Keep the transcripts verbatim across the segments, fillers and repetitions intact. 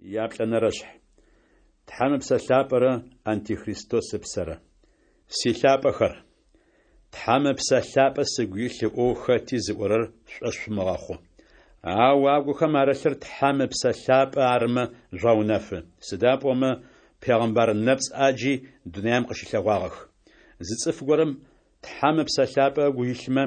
Яплӏэнэрэшъхь. Тхьэм Ыпсэ Лъапӏэрэ Антихристос ыпсэрэ. Силъапӏэхэр, Тхьэм Ыпсэ Лъапӏэ сыгу илъ ыӏоу хэти зыӏорэр шъушӏошъ шъумыгъэхъу. Ау агухэм арылъыр Тхьэм Ыпсэ Лъапӏэ арымэ жъугъэунэфы. Сыда пӏомэ пегъымбар нэпцӏ ӏаджи дунаим къыщылъэгъуагъэх. Зы цӏыф горэм Тхьэм Ыпсэ Лъапӏэ ыгу илъмэ,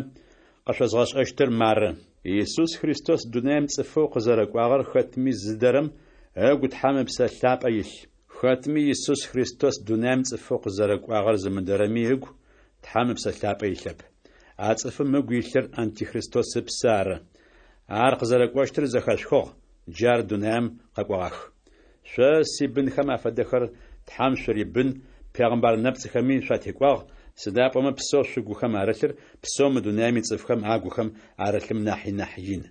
къышъозгъэшӏэщтыр мары: Исус Христос дунаим цӏыфэу къызэрэкӏуагъэр хэтми зыдэрэм ыгу Тхьэм Ыпсэ Лъапӏэ илъ. Хэтми Исус Христос дунаим цӏыфэу къызэрэкӏуагъэр зымыдэрэми ыгу Тхьэм Ыпсэ Лъапӏэ илъэп. А цӏыфым ыгу илъыр Антихристос ыпсэ ары. Ар къызэрэкӏощтыр зэхэшъухыгъ, джы ар дунаим къэкӏогъах. Шъо, сибынхэм афэдэхэр, Тхьэм шъурибын, пегъымбар нэпцӏхэми шъуатекӏуагъ, сыда пӏомэ псэу шъугухэм арылъыр псэу мы дунаим ицӏыфхэм агухэм арылъым нахьи нахь ин.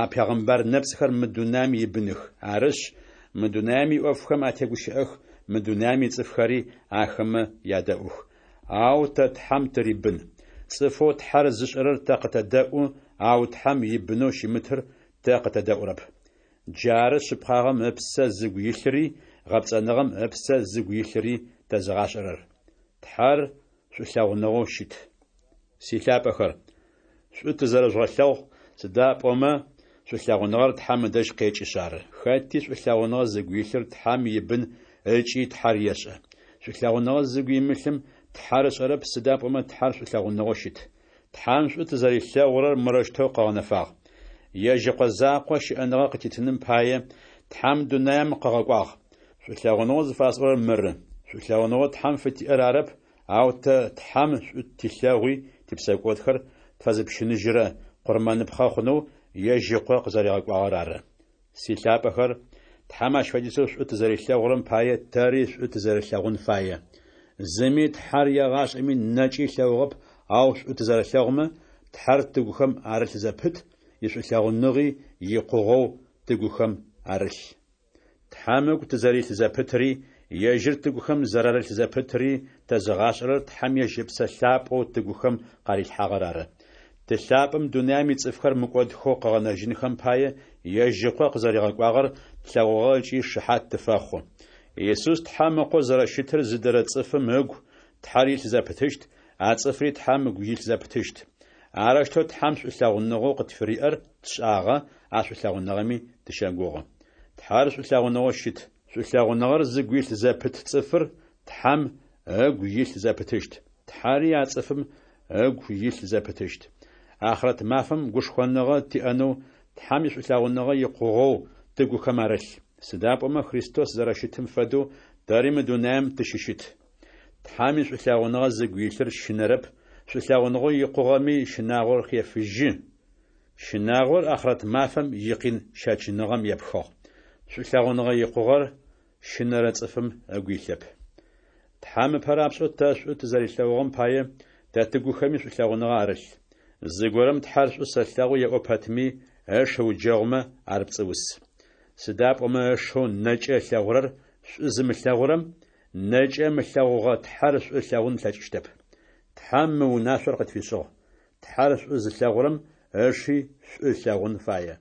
А пегъымбар нэпцӏхэр мы дунаим ибыных. Арышъ, мы дунаим иӏофхэм атегущыӏэх, мы дунаим ицӏыфхэри ахэмэ ядэӏух. Ау тэ Тхьэм тырибын. Цӏыфэу Тхьэр зышӏэрэр тэ къытэдэӏу, ау Тхьэм ибынэу щымытыр тэ къытэдэӏурэп. Джары шъыпкъагъэм ыпсэ зыгу илъыри гъэпцӏэныгъэм ыпсэ зыгу илъыри тэзыгъашӏэрэр. Тхьэр шӏулъэгъуныгъэу щыт. Силъапӏэхэр, шӏу тызэрэжъугъэлъэгъу, сыда пӏомэ шӏулъэгъуныгъэр Тхьэм ыдэжь къекӏышъ ары. Хэти шӏулъэгъуныгъэ зыгу илъыр Тхьэм ибын ыкӏи Тхьэр ешӏэ. Шӏулъэгъуныгъэ зыгу имылъым Тхьэр ышӏэрэп, сыда пӏомэ Тхьэр шӏулъэгъуныгъэу щыт. Тхьэм шӏу тызэрилъэгъурэр мырэущтэу къыгъэнэфагъ: Ежь Ыкъо закъо щыӏэныгъэ къытитыным пае Тхьэм дунаим къыгъэкӏуагъ. Шӏулъэгъуныгъэу зыфасӏорэр мыры: шӏулъэгъуныгъэу Тхьэм фытиӏэр арэп, ау тэ Тхьэм шӏу тилъэгъуи типсэкӏодхэр тфэзыпщыныжьырэ къурмэныпхъэ хъунэу ежь Ыкъо къызэригъэкӏуагъэр ары. Силъапӏэхэр, Тхьэм ащ фэдизэу шӏу тызэрилъэгъурэм пае тэри шӏу тызэрэлъэгъун фае. Зыми Тхьэр егъашӏэми нэкӏэ ылъэгъугъэп, ау шӏу тызэрэлъэгъумэ, Тхьэр тыгухэм арылъ зэпыт, ишӏулъэгъуныгъи икъугъэу тыгухэм арылъ. Тхьэм ыгу тызэрилъ зэпытри, ежьыр тыгухэм зэрарылъ зэпытри тэзыгъашӏэрэр Тхьэм ежь Ыпсэ Лъапӏэу тыгухэм къарилъхьагъэр ары. Ты лъапӏэм дунаим ицӏыфхэр мыкӏодхэу къыгъэнэжьынхэм пае ежь Ыкъо къызэригъэкӏуагъэр тлъэгъугъэ ыкӏи шыхьат тыфэхъу. Исус Тхьэм Ыкъоу зэрэщытыр зыдэрэ цӏыфым ыгу Тхьэр илъ зэпытыщт, а цӏыфри Тхьэм ыгу илъ зэпытыщт. Арэущтэу Тхьэм шӏулъэгъуныгъэу къытфыриӏэр тшӏагъэ, а шӏулъэгъуныгъэми тыщэгугъы. Тхьэр шӏулъэгъуныгъэу щыт. Шӏулъэгъуныгъэр зыгу илъ зэпыт цӏыфыр Тхьэм ыгу илъ зэпытыщт. Тхьэри а цӏыфым ыгу илъ зэпытыщт. Ахърэт мафэм гушхоныгъэ тиӏэнэу Тхьэм ишӏулъэгъуныгъэ икъугъэу тыгухэм арылъ. Сыда пӏомэ Христос зэрэщытым фэдэу тэри мы дунаим тыщыщыт. Тхьэм ишӏулъэгъуныгъэ зыгу илъыр щынэрэп, шӏулъэгъуныгъэу икъугъэми щынагъор хефыжьы. Щынагъор ахърэт мафэм икъин щэчыныгъэм епхыгъ. Шӏулъэгъуныгъэ икъугъэр щынэрэ цӏыфым ыгу илъэп. Тхьэм ыпэ рапшӏэу тэ шӏу тызэрилъэгъугъэм пае тэ тыгухэми шӏулъэгъуныгъэ арылъ. Зыгорэм Тхьэр шӏу сэлъэгъу еӏо пэтми, ыш ыуджэгъумэ, ар пцӏыус. Сыда пӏомэ ышэу нэкӏэ ылъэгъурэр шӏу зымылъэгъурэм нэкӏэ ымылъэгъугъэ Тхьэр шӏу ылъэгъун ылъэкӏыщтэп. Тхьэм мы унашъор къытфишӏыгъ: Тхьэр шӏу зылъэгъурэм ыши шӏу ылъэгъун фае.